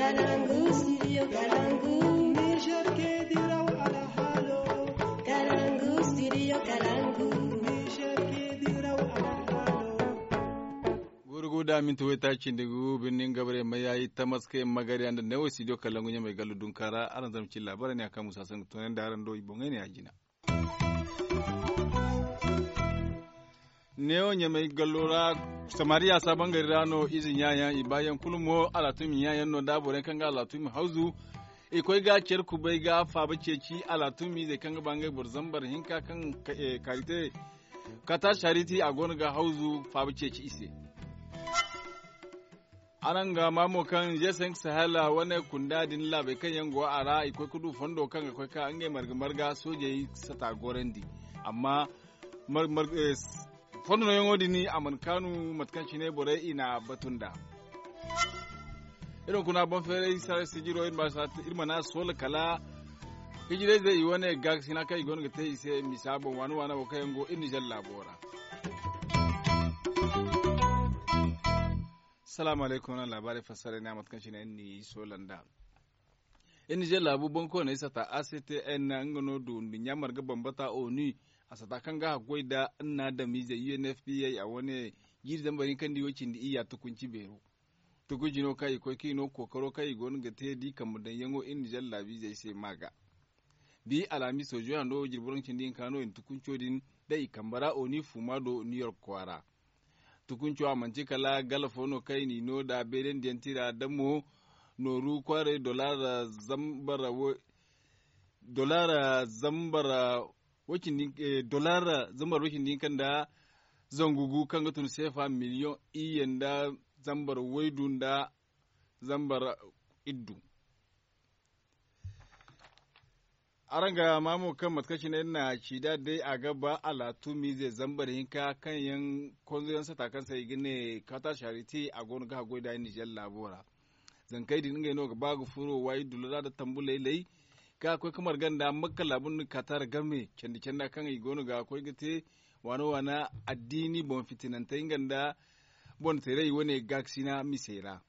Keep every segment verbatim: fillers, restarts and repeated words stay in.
Kalangu, studio Kalangu. Niger ke diraw alhalo. Kalangu, studio Kalangu. Niger ke diraw alhalo. Gurugu da minti wayta cindi gu birnin gabre mayayi tamaske magariya nda newo studio Kalangu ɲamay gallu dunkara aran zama ci labarai ne a kan musa sangu tonen da aran do i boŋay ne a jina. Neewo ɲamay gallo ra samariya sabangari ra no ize ɲaayaŋ i baayaŋ kulu mo alatumi ɲaayaŋ no da borey kaŋ ga alatumi hawzu. I koy ga care kubay ga faaba ceeci alatumi izey kaŋ ga ba ngey boro zambar hinka kaŋ kaarite kata sariti a go no ga hawzu faaba ceeci i se. Araŋ ga maa mo kaŋ g cinq sahel wane kunda din laabey kaŋ yaŋ go a ra i koy ga du fondo kaŋ ga koy ka ngey marga marga soojey sata gorandi. Amma fondo nooyaŋo din a mana kaanu mate kaŋ cine borey i n'a batu nd'a. Iri hunkuna boŋ feeray sijiro iri mana soola kala hijirayzey i wane gaakasina kaŋ i go no ga te i se misa boŋ waana waana wo kaŋ yaŋ go iri nizer laabo ra. Salaamu alaykum wane laabaarey fassara ne a mate kaŋ cine iri n'i soola nd'a. Iri nizer laabu boŋkooney sata a c t n nga no du nduɲɲa marga bambata onu. A sata kaŋ ga haggoy nda nna adamizey u n f p a wane jiiri zambar hinka nda i wo cindi iyya tukunci beero. Tukunci no kaŋ i koy kaŋ i no kookaro kaŋ i go no ga te da i kambe daŋyaŋo iri nizer laabiizey se ma ga. Bi alhamiso zoyando jirbi boro nda cindi hinka no i na tukunco din daŋ i kambe ra oni fuuma do new york kwaara. Tukunco a manti kala gala fo no kaŋ i n'i no nda beerandiyaŋ tira da mo nooru kwaaray dolara zambar. Dolara zambar. Dolara zambar way cindi hinka nda zangu gu kaŋ ga tun seefa miliyoŋ iyye nda zambar waydu nda zambar iddu. Araŋ ga maa mo kaŋ mate kaŋ cine iri na ci nd'a day a ga ba alaatumiize zambar hinka kaŋ yaŋ konzoyaŋ sata kaŋ se i ga ne kata sariti a go no ga haggoy nd'a nizer laabo ra. Zankey din ngey no ga ba ga furo waayi dullo ra nda tambu laylay kaŋ a koy ga marga nda makka laabu nda katar game candi canda kaŋ i go no ga koy ga te waana waana addiini boŋ fitinantey nga nda boŋ teeray wane gaakasina misey ra.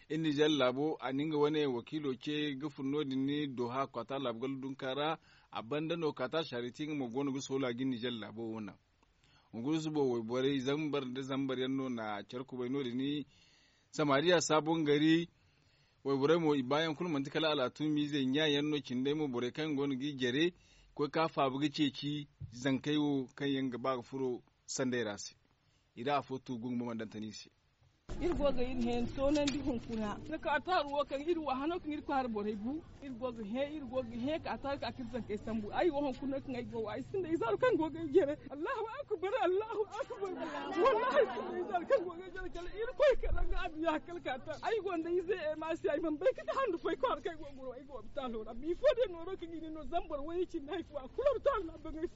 Iri nizer laabo a na nga wane wakiilo ce ga fun no- din doha kata laabu gala dunka ra. A banda no kata sariti nga mo go no ga soola ga iri nizer laabo wo naŋ. Hungurusu bo wayborey zambar nda zambar yaŋ no na care kubay no- din samariya saabon gari. Wayborey mo i baayaŋ kulu manti kala alaatumiizey ɲaayaŋ no cindey mo borey kaŋ go no ga i jare koy ka faaba ga ceeci zankey wo kaŋ yaŋ ga ba ga furo sanday ra se. I ra afo tu gungu mo mana daŋ tan i se. Iri go ga iri hẽeni toonandi hunkuna. Ni ka taaru wo kaŋ iri wa hano kaŋ iri kwaara borey bu. Iri go ga hẽ iri go ga hẽ ka taaru ka k'iri zankey sambu ay wo hunkuna kaŋ ay go ay sinda izaaru kaŋ go ga ay jere. Allahu akbar allahu akbar. Wallahi sinda izaaru kaŋ go ga ay jere kala iri koy kala nga abiya kala ka ta ay go nda ize e ma si ay man bay ka ta handu fay kwaara kaŋ ay go goro ay go opitalo ra bifo de nooro kaŋ i ne no zambar way cindi hay fo a kulu opitalo na baŋay.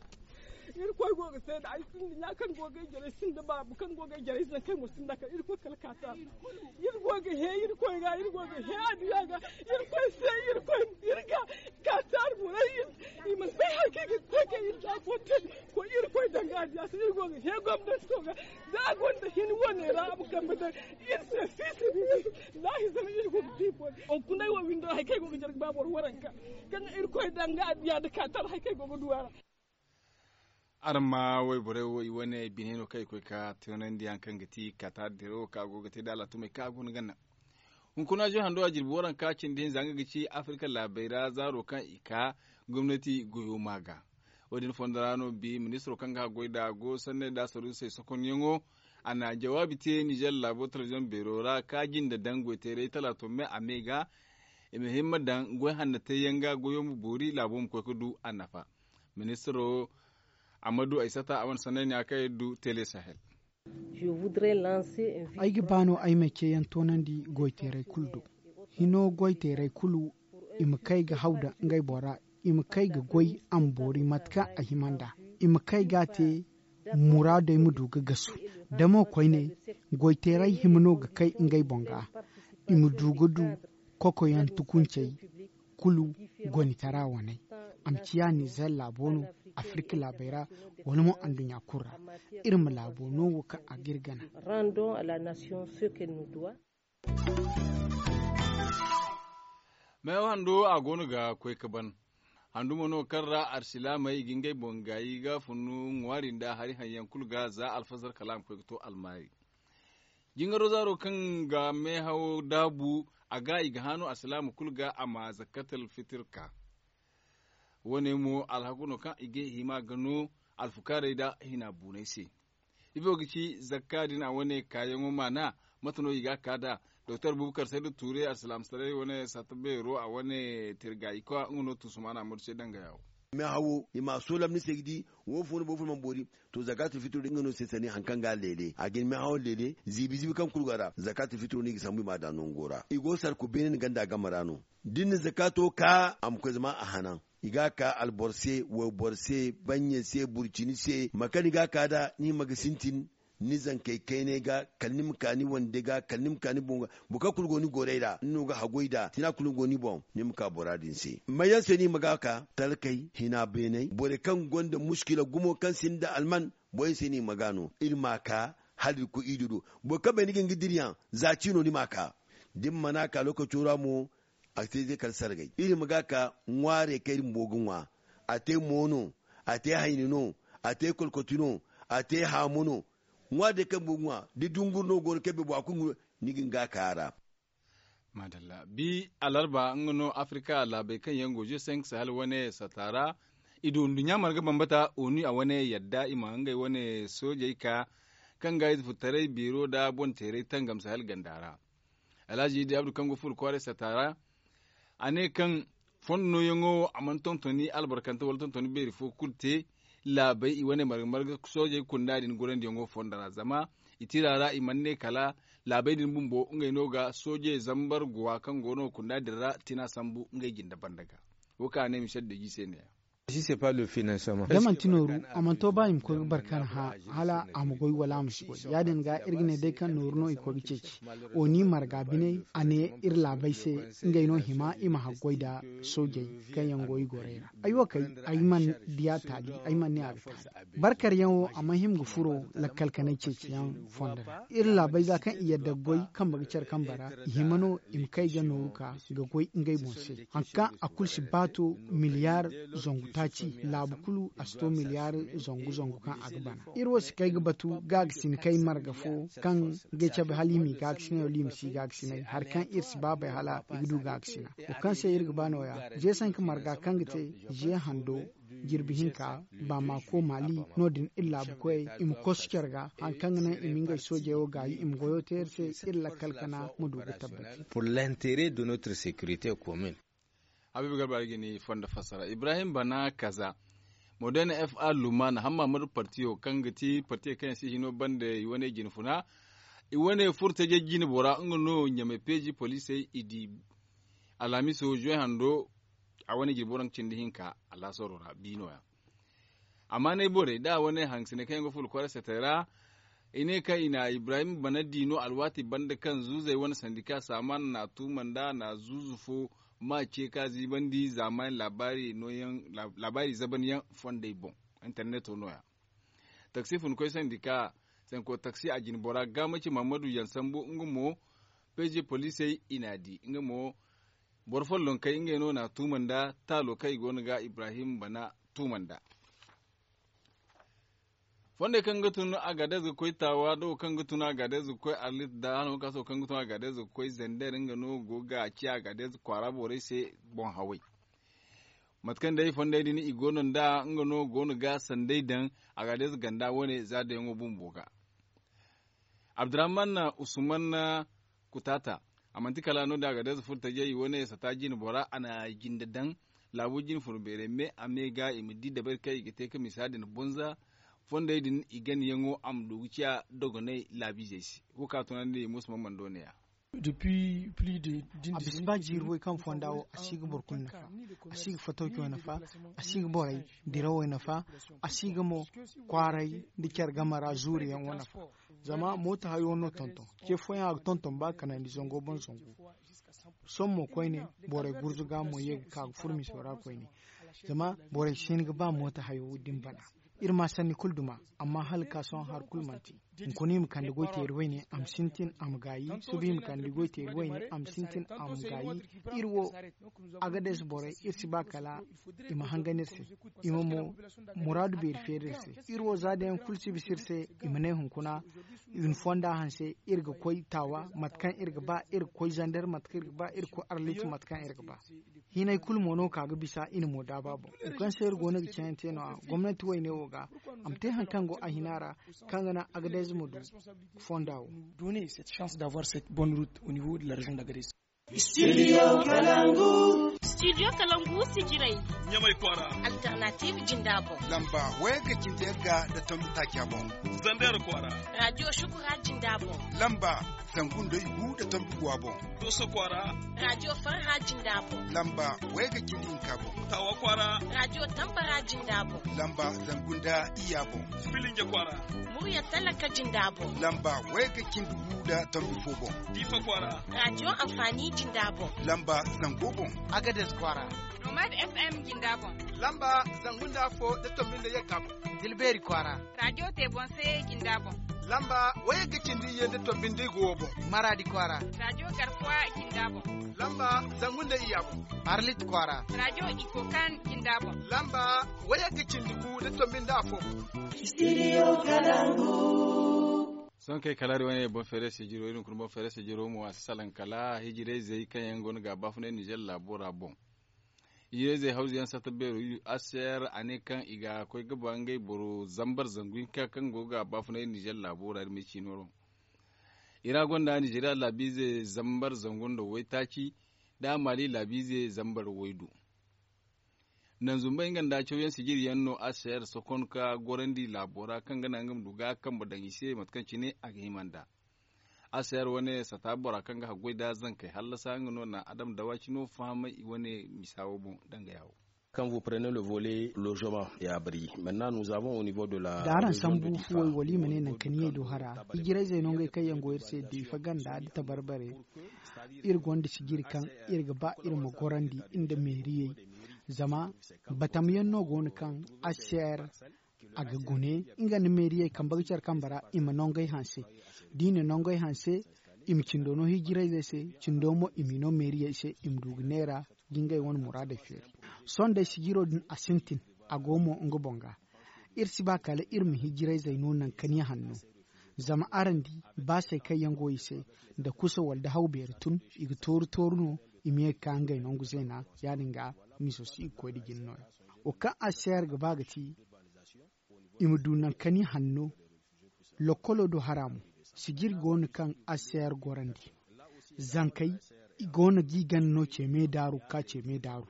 Iri koy go ga seeda ay sinda ɲa kaŋ go ga ay jere sinda baabu kaŋ go ga ay jere ize kaŋ go sinda kala iri koy kala ka ta iri go ga hẽ iri koy ga iri go ga hẽ aduya ga iri koy se iri koy iri ga ka ta iri borey i ma bay hari kaŋ ga koy kaŋ iri da fo te ko iri koy danga aduya se iri go ga hẽ gomnati ko ga da a gonda hini wane ra a ma kambe daŋ iri se sisi lahi zama iri go ga di boy on kunay wo windo hari kaŋ ay go ga jere ga ba boro waranka kaŋ iri koy danga aduya da ka ta hari kaŋ ay go ga du a ra. Araŋ ma wayborey wo i wane bine no kaŋ i koy ka tunandi haŋ kaŋ ga ti kata diro kaŋ a go ga te da alaatumey kaŋ a go no ga naŋ. Hunkuna zo hando a jirbi waranka cindi hinza nga ga ci afirka laabey ra zaaro kaŋ i ka gomnati goyo ma ga. Wo- din fondo ra no bi ministiro kaŋ ga haggoy da go sanney da saruusey sokonyaŋo a na jawaabi te nizer laabo telebiziyoŋ beero ra ka jinde daŋ goyteerey talaato me a me ga i ma himma daŋ goy hanna teeyaŋ ga goyo ma boori laabo ma koy ga du a nafa. Ministiro amadu aysata a wane sanney ne a kaŋ iri du tele sahel. Ay ga ba no ay ma ceeyaŋ toonandi goyteerey kulu do. Hino goyteerey kulu i ma kay ga haw da ngey boŋ ra i ma kay ga goy a ma boori mate kaŋ a hima nd'a. I ma kay ga a te muraadey ma du ga gasu. Da mo koyne goyteerey hima no ga kay ngey boŋ ga i ma du ga du kokoyaŋ tukuncey kulu gonitara waney. A ma ciya nizer laabo no afirka laabey ra wala mo anduɲɲa kulu ra. Iri ma laabo no wo kaŋ a ga iri gana. Rendons à la nation ce qu'elle nous doit. Meewa hando a go no ga koy ga ban. Handu mo no kaŋ ra alsilaamey i ga ngey boŋ gaayi ga funu ŋwaari nda hari haŋ yaŋ kulu ga za alfazar kala a ma koy ga to almaari. Jingaro zaaro kaŋ ga meehawo daabu a ga i ga haanu alsilaama kulu ga a ma zakkatal fitir ka. Wo- ne mo alhaku no kaŋ i ga hima ga no alfukaarey nda hina buuney se. Ifo ga ci zakka din a wane kaayaŋo maana? Mate no i ga a ka nd'a? Doktor bubakar saydu tuure alsilaamataray wane satta beero a wane tirga i koy nga no tuusumaana amadu se danga yawo. Meehawo i ma a soolam ni se ga di. Wo fo no boro fo mana boori. To zakaatul fitiro din nga no se sanni hari kaŋ ga a leele a ga ni meehawo leele ziibi ziibi kaŋ kulu go a ra zakaatul fitiro no i ga sambu i ma a daŋ nango ra i go sarku beene ni ganda game ra no. Da ni na zakaato ka a ma koy zama a hanan. I ga a ka alboro se wayboro se banye se burcini se mate kaŋ ni ga a ka nd'a ni hima ga sintin. Ni zankey kaynay ga kala ni ma ka ni wande ga kala ni ma ka ni boŋ ga. Boro kaŋ kulu go ni gorey ra ni no ga haggoy nd'a tina kulu go ni boŋ. Ni ma ka bora din se may yaŋ se no i ma ga a ka talkey hina beeney borey kaŋ gonda muskila gumo kaŋ sinda alman. Borey se no i ma ga no iri ma a ka hala iri koy ido do. Boro kaŋ bay ni ga hin ga dira yaŋ za ciino ni ma a ka. Da ni mana a ka lookaco ra mo a ga te day kala sargay iri ma ga a ka ŋwaarey kaŋ iri bumbo ga ŋwa. A te mo no a te hayni no a te kolkoti no a te haamu no. Ŋwaari day kaŋ bumbo ga ŋwa da dunguri no go no kaŋ bumbo a kulu ni ga hin ga a ka a ra. Maadalla bi alarba nga no afirka laabey kaŋ yaŋ go je cinq sahel wane sata ra. I du nduɲɲa marga bambata onu a wane yadda i ma ngey wane soojey ka kaŋ ga ize furtaray biiro nda boŋ teeray tangam sahel ganda ra. Alhazi idi abdu kaŋ go furo kwaaray sata ra a ne kaŋ fondo nooyaŋo wo a mana tontoni albarkante wala tontoni beeri fo kulu te. Laabey i wane marga marga soojey kunda din gorandiyaŋo fondo ra zama i tira ra i mana ne kala laabey din bumbo ngey no ga soojey zambar guwa kaŋ go no kunda din ra tina sambu ngey jinde banda ga. Wo kaŋ a ne michel deji se ne ya. Da manti nooru a mana to ba i ma koy ga barkan hã hala a ma goy wala a ma si goy ya- din ga iri ga ne day kaŋ nooru no i koy ga ceeci. Oni marga biney a ne iri laabey se ngey no hima i ma haggoy nda soojey kaŋ yaŋ go i gorey ra. Ay wo kay ay mana diya taali ay mana ne a ga taali. Barkaryaŋo a mana hima ga furo lakkal kanay ceeciyaŋ fondo ra iri laabey za kaŋ i yadda ga goy kambe ga care kambe ra. I hima no i ma kay ga nooru ka ga goy ngey boŋ se. Hari kaŋ a kulu si baato miliyar zangu taaci laabu kulu a si to miliyar zangu zangu kaŋ a ga bana. Iri wo si kay ga batu gaagasinakey marga fo kaŋ ga ay cabe hala i m'i gaagasinay wala i ma si gaagasinay hari kaŋ iri si ba bay hala i ga du gaagasina. Wo kaŋ se iri ga ba nooya ze sanka marga kaŋ ga te ze hando jirbi hinka ba ma ko mali no- din iri laabu koyey i ma kosu care ga hari kaŋ ga naŋ i ma ngey soojey wo gaayi i ma goyo te iri se. Iri lakkal kana ma du ga tabbaci. Pour l'intere de notre securite commune. Habiibu garba ga ni fondo fassara ibrahim bana kaza moderne f a lumana hamma madu partiyo kaŋ ga ti partiyo kaŋ yaŋ se hino banda i wane jine funa. I wane furtaje jine bora nga no ɲamay peeji poliisey i di. Alhamiso zoy hando a wane jirbi waranka cindi hinka. Alhaasaro ra bi no- ya. Amma ne borey da a wane hangasine kaŋ yaŋ ga furo kwaara setey ra. I ne kaŋ i na ibrahim bana di no alwaati banda kaŋ zuuzey wane sandika saamaana na a tuuma nda na zuuzu fo ma ce ka ziibandi zaamaani laabaari zabanyaŋ fondey boŋ. Interneto no- ya. Taksi funkoy sandika sanko taksi a jine bora gaamaci mahammadu yaŋ sambu nga mo. Peeze poliisey i n'a di nga mo. Boro follonkey ngey no na a tuuma nda taalo kaŋ i go no ga ibrahim bana tuuma nda. Fondey kaŋ ga tun agadez ga koy taawa da wo kaŋ ga tun agadez ga koy arlit da hala wo kaŋ ga tun agadez ga koy zender nga no go ga a ci agadez kwaara borey se. Boŋ haway mate kaŋ day fondey din i go no nd'a nga no go no ga sanday daŋ. Agadez ganda wane za dayaŋo bumbo ga. Abdurrahman usman kutaata a manti kala no- din agadez furo tajey wane sata jine bora a na jinde daŋ. Laabu jine furo beerey me a me ga i ma di dabari kaŋ i ga te ka misa din bonza. Fondey din i ganayaŋo a ma du ga ciya dogonay laabiizey se. Wo kaŋ a tunandi musa mamman do ne- ya. A bisa ba jiiri way kaŋ fonda wo a si ga boro kulu nafa. A si ga fatawco nafa. A si ga borey dirawey nafa. A si ga mo kwaaray nda care game ra zuuriyaŋo nafa. Zama mooto hayo no tonton ce fooyaŋ a ga tonton ba kanandi zango boŋ zangu. Sohõ mo koyne borey gurzuga mo ye ga ka ga furo miso ra koyne. Zama borey si hin ga ba mooto hayo din bana. Iri ma sanni kulu duma amma hala ga ka sohõ hari kulu manti. Hunkuna i ma kande goy teeri wayne a ma sintin a ma gaayi. Suba i ma kande goy teeri wayne a ma sintin a ma gaayi. Iri wo, agades borey, iri si ba kala i ma hangan iri se, i ma mo muraadu beeri feeri iri se. Iri wo za da yaŋ kulu si bisa iri se, i ma ne hunkuna, i na fonda hanse. Iri ga koy taawa mate kaŋ iri ga ba, iri ga koy zander mate kaŋ iri ga ba, iri ga koy arlit mate kaŋ iri ga ba. Hinay kulu mo no ka ga bisa i na mo daaba boŋ. Wo kaŋ se iri go no ga cayante no- ya gomnanti wayne wo ga, a ma te hari kaŋ go a hina ra, kaŋ ga naŋ agadez ma du fonda wo. Donner cette chance d'avoir cette bonne route au niveau de la région d'Agadez. Studio kalangu. Studio kalangu sijiray. Ɲamay kwaara. Alternative jinda boŋ. Lamba waya ga cindi yagga da tambi taaca boŋ. Zander kwaara. Radio shukura jinda boŋ. Lamba zangu nda igu da tambi guwa boŋ. Doso kwaara. Radio farha jinda boŋ. Lamba waya ga cindi hinka boŋ. Tawa kwaara. Radio tambara jinda boŋ. Lamba zangu nda iya boŋ. Filinge kwaara. Murya talaka jinda boŋ. Lamba waya ga cindi gu da tambi fo boŋ. Difa kwaara. Radio amfani jinda boŋ. Lamba zango boŋ. Agades kwaara. Nomad FM jinda boŋ. Lamba zangu nda fo da tambi nda yagga boŋ. Dilbeeri kwaara. Radio te boŋ se jinda boŋ. Lamba waya ga cindi ye nda tambi nda igo boŋ. Maradi kwaara. Radio garkuwa jinda boŋ. Lamba zangu nda iya boŋ. Arlit kwaara. Radio ikokan jinda boŋ. Lamba waya ga cindi gu da tambi nda afo boŋ. Studio kalangu. Sohõ kay kala iri wane boŋ feere sijiro iri hunkuna boŋ feere sijiro mo a si salaŋ kala hijirayzey kaŋ yaŋ go no ga a baafunay ninzeer laabo ra boŋ. Hijirayzey hawzu yaŋ satta beero aser a ne kaŋ i ga koy ga ba ngey boro zambar zangu hinka kaŋ go ga a baafunay ninzeer laabo ra iri ma ay ciino ra. I ra gonda ninzeeriya laabiize zambar zangu nda waytaaci, da a maali laabiize zambar waydu. Nanzumbay nga nda cawyaŋ sijiri yaŋ no aser sokon ka gorandi laabo ra kaŋ ga naŋ nga ma du ga a kambe daŋ i se mate kaŋ cine a ga hima nd'a. Aser wane sata bora kaŋ ga haggoy da zankey hallasa nga no na adam dawaci no fahamay i wane misa wo boŋ danga yaawo. Quand vous prenez le volet logement et abri maintenant nous avons au niveau de la da araŋ sambu fuwey wala i ma ne nankaniyey do hara hijirayzey no ngey kaŋ yaŋ go iri se diifa ganda da tabarbare. Iri gonda sijiri kaŋ iri ga ba iri ma gorandi nda meeriyey. Zama batamyaŋ no go no kaŋ aser a ga gune nga nda meeriyey kambe ga care kambe ra i ma nongey hanse. Da i na nongey hanse i ma cindo no hijirayzey se. Cindo mo i m'i no meeriyey se i ma du ga neera ga ngey wane muraadey feeri. Sohõ day sijiro din a sintin a go mo nga boŋ ga. Iri si ba kala iri ma hijirayzey no naŋ kaniya hanno. Zama araŋ di baasey kaŋ yaŋ go i se nda kusa wala da haw beeri tun i ga tooru tooru no i ma ye ga ka ngey nangu zeena. Ya- din ga miso si i ga koy nda jin nooya. Wo kaŋ aseer ga ba ga ti i ma du naŋ kani hanno. Lokkolo do hara mo sijiri go no kaŋ aseer gorandi. Zankey i go no ga i gana no ce me daaru ga ka ce me daaru.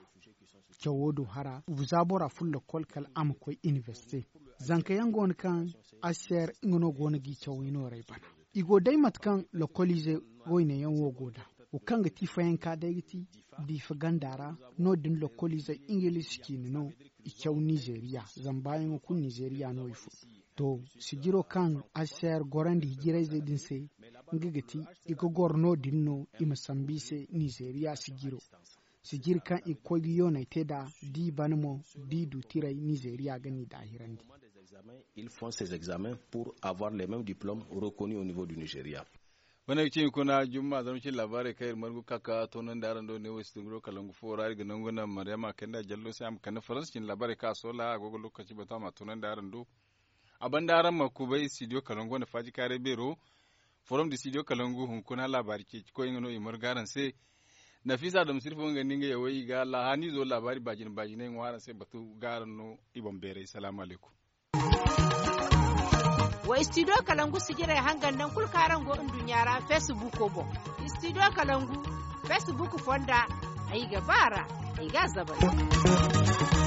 Cawo do hara za bora furo lokkol kala a ma koy inibersite. Zanka yaŋ go no kaŋ aseer nga no go no ga i cawey nooray bana. I go day mate kaŋ lokkoliize wayne yaŋ wo go nd'a wo kaŋ ga ti fayanka day ga ti diifa ganda ra. No- din lokkoliizey ingiliisi ciine no i caw nizeeriya. Zama baayaŋo kulu nizeeriya no i fun. To sijiro kaŋ aseer gorandi hijirayzey din se nga ga ti i ga goro no- din no i ma sambu i se nizeeriya sijiro. Sijiri kaŋ i ga koy ga yoonay te nd'a da i bana mo da i du tiray nizeeriya ga n'i daahirandi. Ils font ces examens pour avoir les mêmes diplômes reconnus au niveau du nigeria. Wane ga ci hunkuna jumma zama cine laabaarey kaŋ iri margu ka ka toonandi araŋ do ne wo studio kalangu fo ra iri ga nangu naŋ maryama kayna jallo se a ma kande faransa cine laabaarey kaŋ a soola a go ga lokaci batu a ma a toonandi araŋ do. A banda araŋ ma kubay studio kalangu wane faaji kaaray beero. Forum de studio kalangu hunkuna laabaari ceeci koy nga no i margu araŋ se. Nafisa dam sirfo nga nda nga yawey i ga laahaaniizo laabaari baajina baajinay ŋwa araŋ se batu ga araŋ no. I boŋ beeray salaamu alaykum. Wa studio kalangu sijirey hangan naŋ kulu kaŋ araŋ go nduɲɲa ra facebook boŋ. Studio kalangu facebook fonda. Ay ga ba ra ay ga a zabari.